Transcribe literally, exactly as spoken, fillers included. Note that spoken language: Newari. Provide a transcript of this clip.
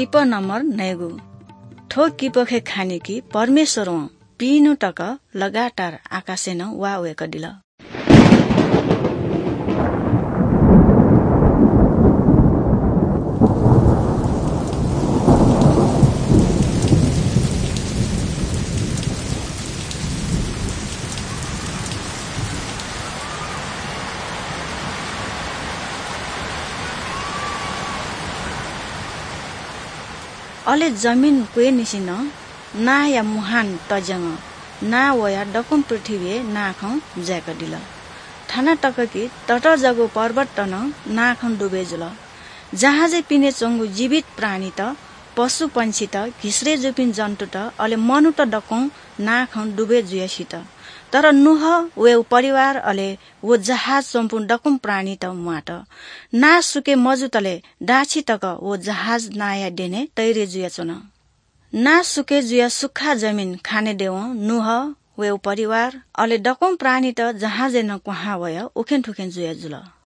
किप नम्बर नयेगु। थ्व किपखे खानि कि परमेश्वरं पिइन्हु तक लगातार आकाशय् नं वा वय्कदिल। अले जमिन क्वय्निसें नं नांया मुहान तज्यानाः नां वयाः दक्वं पृथ्वीइ नांखं ज्याय्कादिल। थाना तक कि ततःजाःगु पर्वतत नं नांखं दुबय् जुल। जहाजय् पिने च्वंगु जीवित प्राणीत, पशुपंक्षीत, घिस्रे जूपिं जन्तुत, अले मनूत दक्वं नांखं दुबय् जुयाः सित। तर नूह, वय् परिवार, अले व जहाज च्वंपिं दक्वं प्राणीत म्वात। नां सुके मजुतले दाछि तक व जहाज नांया द्यने तयारी जुयाच्वन। नां सुके जुयाः सुख्खा जमिन खाने देवं नूह, वय् परिवार, अले दक्वं प्राणीत जहाजय् नं क्वहां वयाः उखें थुखें जुया जुल।